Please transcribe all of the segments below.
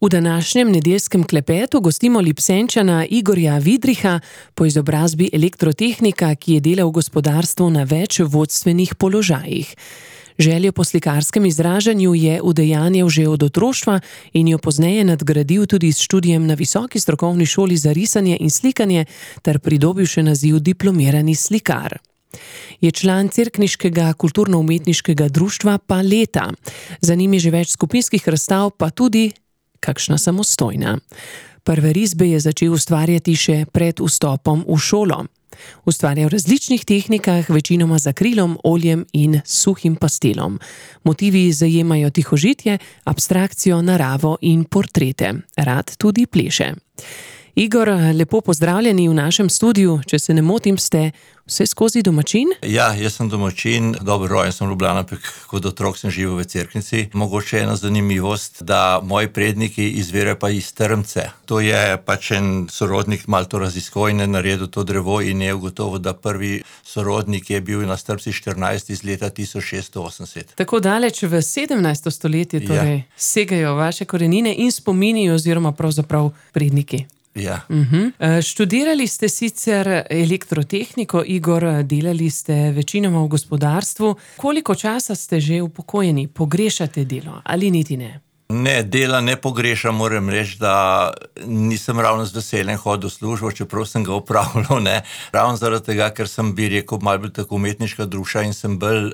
V današnjem nedeljskem klepetu gostimo Lipsenčana Igorja Vidricha, po izobrazbi elektrotehnika, ki je delal v gospodarstvu na več vodstvenih položajih. Željo po slikarskem izražanju je udejanjal že od otroštva in jo pozneje nadgradil tudi s študijem na Visoki strokovni šoli za risanje in slikanje ter pridobil še naziv diplomirani slikar. Je član cerkniškega kulturno-umetniškega društva Paleta. Za njim je že več skupinskih razstav, pa tudi kakšna samostojna. Prve risbe je začel ustvarjati še pred vstopom v šolo. Ustvarja v različnih tehnikah, večinoma z akrilom, oljem in suhim pastelom. Motivi zajemajo tihožitje, abstrakcijo, naravo in portrete. Rad tudi pleše. Igor, lepo pozdravljeni v našem studiu. Če se ne motim, ste vse skozi domačin? Ja, jaz sem domačin, dobro rojen sem v Ljubljani, ampak kot otrok sem živel v Cerknici. Mogoče ena zanimivost, da moji predniki izvirajo pa iz Trmce. To je pač en sorodnik malo to raziskoval in je naredil to drevo in je ugotovil, da prvi sorodnik je bil na Strbci 14 iz leta 1680. Tako daleč v 17. stoletje torej segajo vaše korenine in spomini oziroma pravzaprav predniki. Ja. Študirali ste sicer elektrotehniko, Igor, delali ste večinoma v gospodarstvu. Koliko časa ste že upokojeni? Pogrešate delo ali niti ne? Ne, dela ne pogrešam, moram reči, da nisem ravno z veseljem hodil v službo, čeprav sem ga opravljal, ne. Ravno zaradi tega, ker sem, bi rekel, malo bolj tako umetniška duša in sem bolj,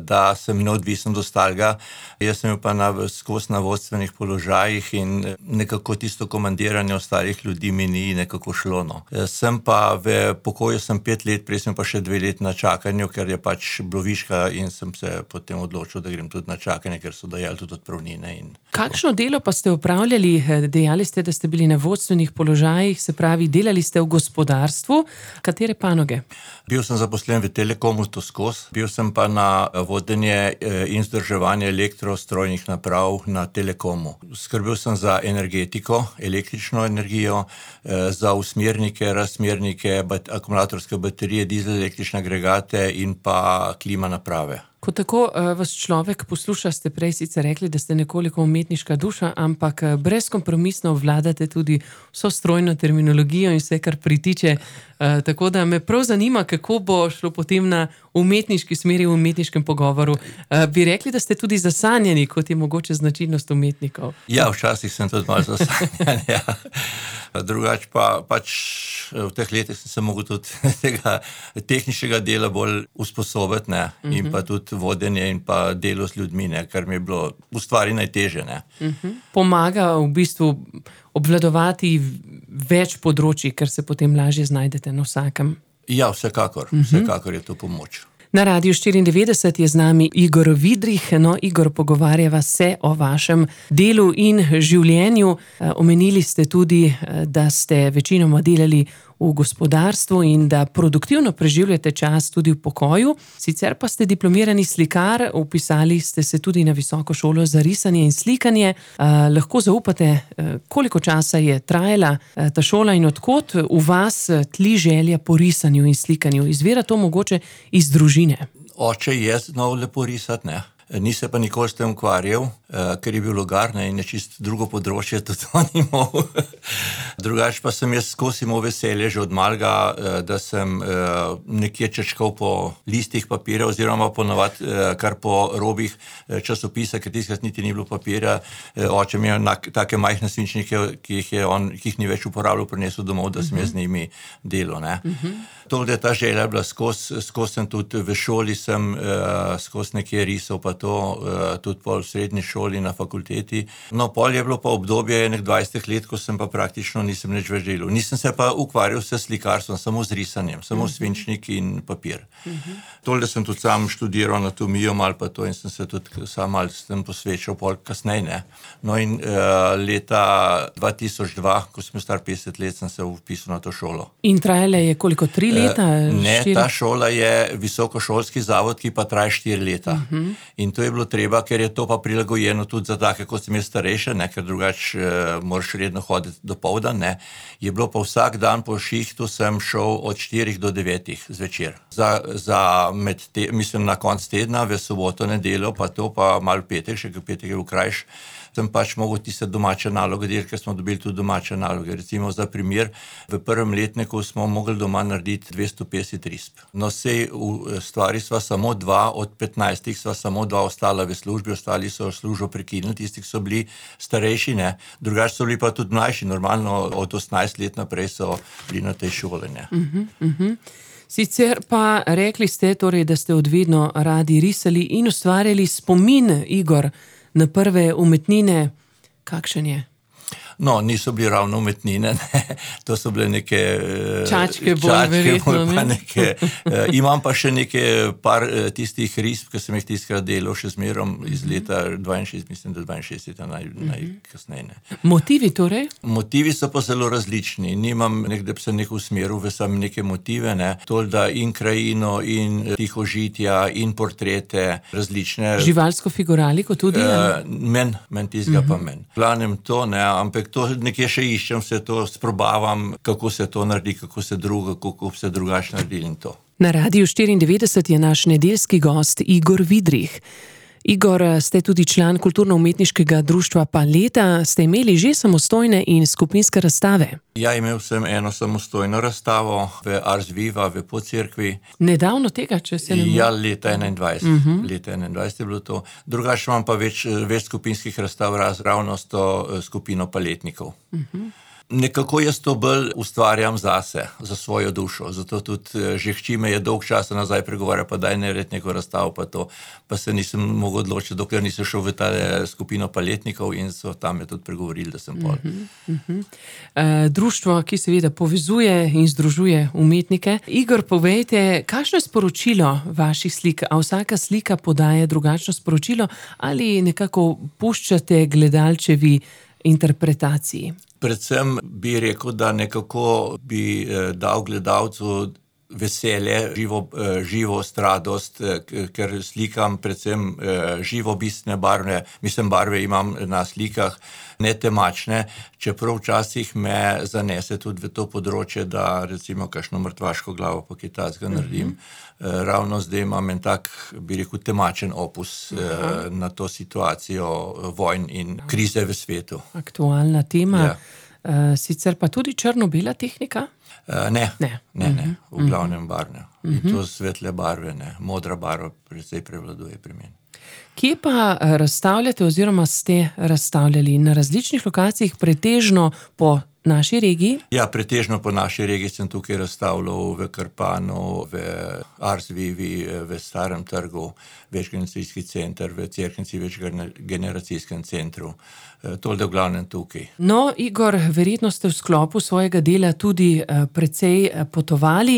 da sem neodvisen do ostalega. Jaz sem bil pa skozi na vodstvenih položajih in nekako tisto komandiranje ostalih ljudi mi ni nekako šlo, no. Sem pa v pokoju sem 5 let, prej sem pa še 2 leti na čakanju, ker je pač bilo viška in sem se potem odločil, da grem tudi na čakanje, ker so dajali tudi odpravnine in... Kakšno delo pa ste opravljali? Dejali ste, da ste bili na vodstvenih položajih, se pravi, delali ste v gospodarstvu. Katere panoge? Bil sem zaposlen v Telekomu to skozi, bil sem pa na vodenje in vzdrževanje elektrostrojnih naprav na Telekomu. Skrbel sem za energetiko, električno energijo, za usmernike, razsmernike, akumulatorske baterije, dizel-električne agregate in pa klima naprave. Ko tako vas človek posluša, ste prej sicer rekli, da ste nekoliko umetniška duša, ampak brezkompromisno vladate tudi vso strojno terminologijo in vse, kar pritiče. Tako da me prav zanima, kako bo šlo potem na umetniški smeri v umetniškem pogovoru. Bi rekli, da ste tudi zasanjeni, kot je mogoče značilnost umetnikov? Ja, včasih sem tudi malo zasanjan, ja. Drugače pa pač v teh letih sem se mogel tudi tega tehničnega dela bolj usposobiti, ne, in pa tudi vodenje in pa delo s ljudmi, ne, kar mi je bilo v stvari najtežje, ne. Pomaga v bistvu obvladovati več področij, ker se potem lažje znajdete na vsakem. Ja, vsekakor je to pomoč. Na Radiu 94 je z nami Igor Vidrich. No, Igor, pogovarjava se o vašem delu in življenju. Omenili ste tudi, da ste večinoma delali v gospodarstvu in da produktivno preživljate čas tudi v pokoju. Sicer pa ste diplomirani slikar, vpisali ste se tudi na Visoko šolo za risanje in slikanje. Lahko zaupate, koliko časa je trajala ta šola in odkot v vas tli želja po risanju in slikanju? Izvira to mogoče iz družine? Oče je znal lepo risati, ne. Ni se pa nikoli s tem ukvarjal, ker je bil logar, ne, in je čisto drugo področje tudi on imel. Drugače pa sem jaz skozi imel veselje že od malega, da sem nekje čečkal po listih papirja oziroma ponavadi kar po robih časopisa, ker tiskrat niti ni bilo papirja. Oče mi je take majhne svinčnike, ki jih ni več uporabljal, prinesel domov, da sem jaz z njimi delal, ne. To, da je ta želja bila skozi sem tudi v šoli sem skozi nekje risal pa to, tudi pol v srednji šoli na fakulteti. No, pol je bilo pa obdobje enih 20 let, ko sem pa praktično nisem nič več delal. Nisem se pa ukvarjal s slikarstvom, samo z risanjem, samo svinčnik in papir. Tole sem tudi sam študiral anatomijo malo pa to in sem se tudi sam malo s tem posvečal pol kasneje, ne. No in leta 2002, ko sem star 50 let, sem se vpisal na to šolo. In trajala je koliko, 3 leta? Ne, ta šola je visokošolski zavod, ki pa traja 4 leta. In to je bilo treba, ker je to pa prilagojeno tudi za take, kot sem jaz starejše, ne, ker drugače moraš redno hoditi dopoldan, ne. Je bilo pa vsak dan po šihtu sem šel od 4 do 9 zvečer. Mislim na konc tedna, v soboto, nedeljo, pa to pa malo petek, še petek je bil krajš, sem pač mogel tiste domače naloge delati, ker smo dobili tudi domače naloge. Recimo za primer, v prvem letniku smo mogli doma narediti 250 risb. No, sej v stvari sva samo 2 od 15, sva samo 2 ostala v službi, ostali so službo prekinili, tisti, ki so bili starejši, ne. Drugače so bili pa tudi mlajši, normalno od 18 let naprej so bili na tej šoli, ne. Sicer pa rekli ste torej, da ste odvedno radi risali in ustvarjali spomin, Igor, na prve umetnine. Kakšen je? No, niso bili ravno umetnine, ne. To so bile neke čačke bolj verjetno, pa neke, imam pa še neke par tistih risb, ki sem jih tiskrat delal še zmerom iz leta 62, mislim, da 62 najkasneje, ne. Motivi torej? Motivi so pa zelo različni. Nimam nekde se nek usmeril v sam neke motive, ne. Tolda in krajino, in tihožitja, in portrete, različne. Živalsko figuraliko tudi? Men tistega pa men. Glavnem to, ne, ampak to nekje še iščem, vse to sprobavam, kako se to naredi, kako se drugače naredi in to. Na Radiu 94 je naš nedeljski gost Igor Vidrih. Igor, ste tudi član kulturno-umetniškega društva Paleta, ste imeli že samostojne in skupinske razstave? Ja, imel sem eno samostojno razstavo v Ars Viva v Podcerkvi. Nedavno tega, če se ne motim? Ja, leta 21. Leta 21 je bilo to. Drugače imam pa več skupinskih razstav ravno s to skupino paletnikov. Nekako jaz to bolj ustvarjam zase, za svojo dušo, zato tudi že hči me je dolg časa nazaj pregovarjal, pa daj narediti neko razstavo, pa to, pa se nisem mogel odločiti, dokler nisem šel v ta skupino paletnikov in so tam me tudi pregovorili, da sem pol. Društvo, ki seveda povezuje in združuje umetnike. Igor, povejte, kakšno je sporočilo vaših slik? A vsaka slika podaja drugačno sporočilo ali nekako puščate gledalčevi interpretaciji? Predvsem bi rekel, da nekako bi dal gledalcu veselje, živost, radost, ker slikam predvsem živopisne barve, mislim, barve imam na slikah, ne temačne, čeprav včasih me zanese tudi v to področje, da recimo kakšno mrtvaško glavo pa kaj takega naredim. Ravno zdaj imam en tak, bi rekel, temačen opus na to situacijo vojn in krize v svetu. Aktualna tema. Ja. Sicer pa tudi črno-bela tehnika? Ne. V glavnem barvne. In to svetle barve, ne. Modra barva precej prevladuje pri meni. Kje pa razstavljate oziroma ste razstavljali? Na različnih lokacijah, pretežno po naši regiji? Ja, pretežno po naši regiji sem tukaj razstavljal v Krpanu, v Ars Vivi, v Starem trgu, večgeneracijski center, v Cerknici, večgeneracijskem centru. Tolde v glavnem tukaj. No, Igor, verjetno ste v sklopu svojega dela tudi precej potovali.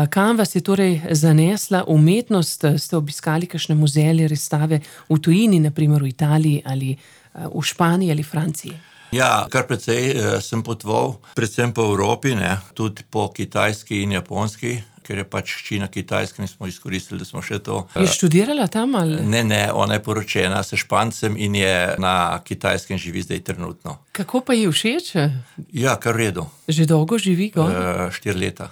Kam vas je torej zanesla umetnost? Ste obiskali kakšne muzeje, razstave v tujini, na primer v Italiji ali v Španiji ali Franciji? Ja, kar precej sem potoval, predvsem po Evropi, ne, tudi po Kitajski in Japonski, ker je pač hči na Kitajskem in smo izkoristili, da smo še to. Je študirala tam ali? Ne, ona je poročena s Špancem in je na Kitajskem živi zdaj trenutno. Kako pa ji všeč? Ja, kar v redu. Že dolgo živi gor? 4 leta.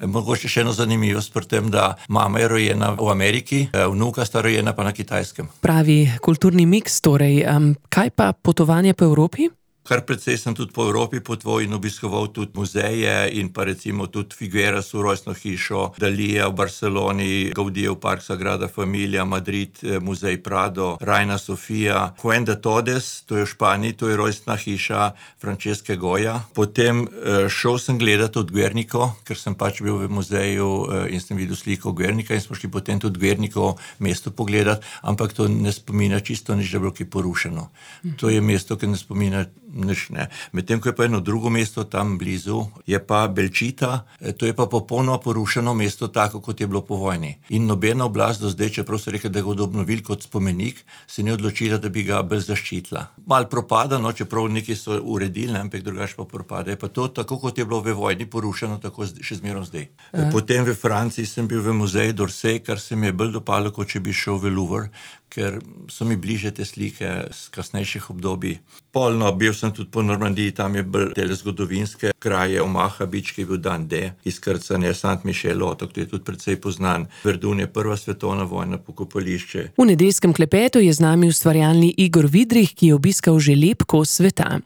Mogoče še eno zanimivost pri tem, da mama je rojena v Ameriki, vnuka sta rojena pa na Kitajskem. Pravi kulturni miks torej. Kaj pa potovanje po Evropi? Kar precej sem tudi po Evropi potoval in obiskoval tudi muzeje in pa recimo tudi Figuerasu rojstno hišo, Dalija v Barceloni, Gaudijev park Sagrada Familia, Madrid, muzej Prado, Reina Sofia, Fuente Todes, to je v Španiji, to je rojstna hiša Francesca Goya. Potem šel sem gledati od Guernico, ker sem pač bil v muzeju in sem videl sliko Guernica in smo šli potem tudi Guernico mesto pogledati, ampak to ne spomina čisto nič, da je bilo kaj porušeno. To je mesto, ki ne spomina nič, ne. Medtem ko je pa eno drugo mesto tam blizu, je pa Belčita, to je pa popolnoma porušeno mesto, tako kot je bilo po vojni. In nobena oblast do zdaj, čeprav so rekli, da ga bodo obnovili kot spomenik, se ni odločila, da bi ga bolj zaščitila. Malo propada, no, čeprav nekaj so uredili, ampak drugače pa propada. Je pa to tako, kot je bilo v vojni porušeno, tako še zmerom zdaj. Potem v Franciji sem bil v muzeju d'Orsay, kar se mi je bolj dopalo, kot če bi šel v Louvre, ker so mi bliže te slike z kasnejših obdobij. Polno, bil sem tudi po Normandiji, tam je bolj tele zgodovinske kraje, Omaha Beach, ki je bil dan D, izkrcanje, St. Michel otok, to je tudi precej poznan. Verdun je prva svetovna vojna pokopališče. V nedeljskem klepetu je z nami ustvarjalni Igor Vidrih, ki je obiskal že lep kos sveta.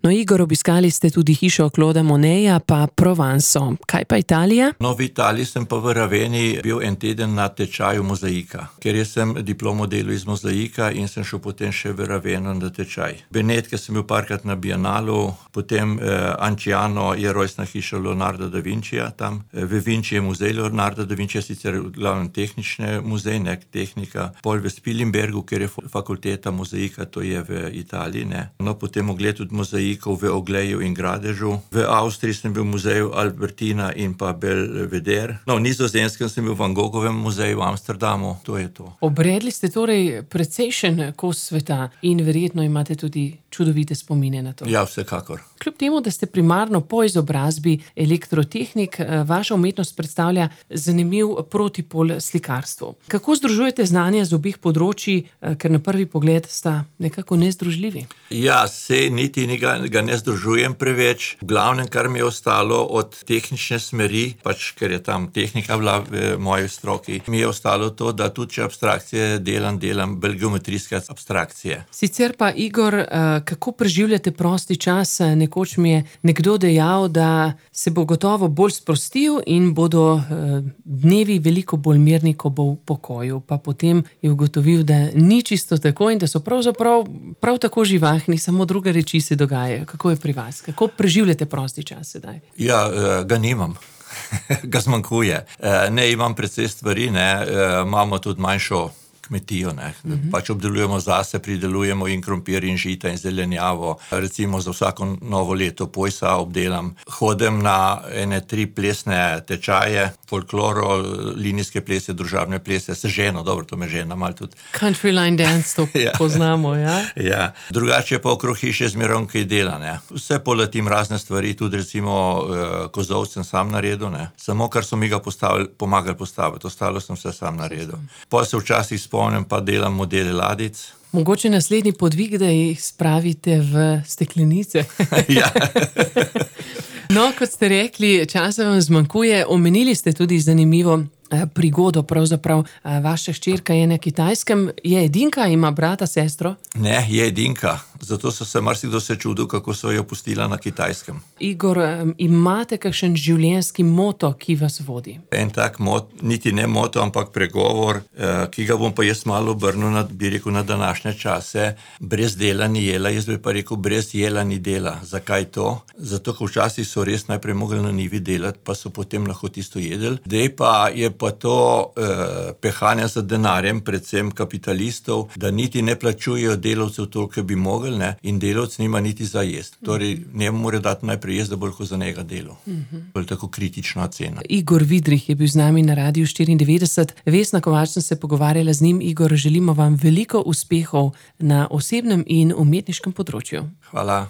No, Igor, obiskali ste tudi hišo Clauda Moneta, pa Provanso. Kaj pa Italija? No, v Italiji sem pa v Raveni bil en teden na tečaju mozaika, ker jaz sem diplomo delal iz mozaika in sem šel potem še v Raveno na tečaj. Benetke sem bil parkrat na Bienalu, potem Anciano je rojstna hiša Leonarda da Vincija tam. V Vinci je muzej Leonarda da Vincija, sicer glavno tehnični muzej, nek tehnika. Pol v Spilimbergu, ker je fakulteta mozaika, to je v Italiji, ne. No, potem ogled tudi mozaikov v Ogleju in Gradežu. V Avstriji sem bil v muzeju Albertina in pa Belvedere. No, v Nizozemskem sem bil v Van Gogovem muzeju v Amsterdamu, to je to. Obredli ste torej precejšen kos sveta in verjetno imate tudi čudovite spomine na to. Ja, vsekakor. Kljub temu, da ste primarno po izobrazbi elektrotehnik, vaša umetnost predstavlja zanimiv protipol slikarstvu. Kako združujete znanje z obeh področij, ker na prvi pogled sta nekako nezdružljivi? Ja, sej niti ga ne združujem preveč. V glavnem, kar mi je ostalo od tehnične smeri, pač ker je tam tehnika bila v moji stroki, mi je ostalo to, da tudi če abstrakcije delam bolj geometrijske abstrakcije. Sicer pa, Igor, kako preživljate prosti čas? Nekoč mi je nekdo dejal, da se bo gotovo bolj sprostil in bodo dnevi veliko bolj mirni, ko bo v pokoju. Pa potem je ugotovil, da ni čisto tako in da so pravzaprav prav tako živahni, samo druge reči se dogajajo. Kako je pri vas? Kako preživljate prosti čas sedaj? Ja, ga nimam. Ga zmanjkuje. Ne, imam precej stvari, ne. Imamo tudi manjšo kmetijo, ne. Pač obdelujemo zase, pridelujemo in krompir in žita in zelenjavo. Recimo za vsako novo leto pojsa obdelam. Hodim na ene 3 plesne tečaje, folkloro, linijske plese, družabne plese, se ženo, dobro, to me žena malo tudi. Countryline dance, to poznamo, ja? Ja. Drugače pa okrog hiše zmerom kaj dela, ne. Vse poletim razne stvari, tudi recimo kozolc sem sam naredil, ne. Samo kar so mi ga pomagali postaviti, ostalo sem vse sam naredil. Pol se včasih spomnim, pa delam modele ladic. Mogoče naslednji podvig, da jih spravite v steklenice. Ja. No, kot ste rekli, časa vam zmanjkuje. Omenili ste tudi zanimivo prigodo, pravzaprav vaša hčerka je na Kitajskem. Je edinka, ima brata, sestro? Ne, je edinka. Zato so se marsikdo čudil, kako so jo pustila na Kitajskem. Igor, imate kakšen življenjski moto, ki vas vodi? En tak niti ne moto, ampak pregovor, ki ga bom pa jaz malo obrnil na današnje čase. Brez dela ni jela, jaz bi pa rekel, brez jela ni dela. Zakaj to? Zato, ker včasih so res najprej mogli na njivi delati, pa so potem lahko tisto jedli. Dej pa je pa to pehanje za denarjem, predvsem kapitalistov, da niti ne plačujejo delavcev toliko, bi mogli, ne, in delavc nima niti za jesti. Torej, njemu mora dati najprej jesti, da bo lahko za njega delal. To je tako kritična cena. Igor Vidrih je bil z nami na Radiu 94. Vesna Kovač sem se pogovarjala z njim. Igor, želimo vam veliko uspehov na osebnem in umetniškem področju. Hvala.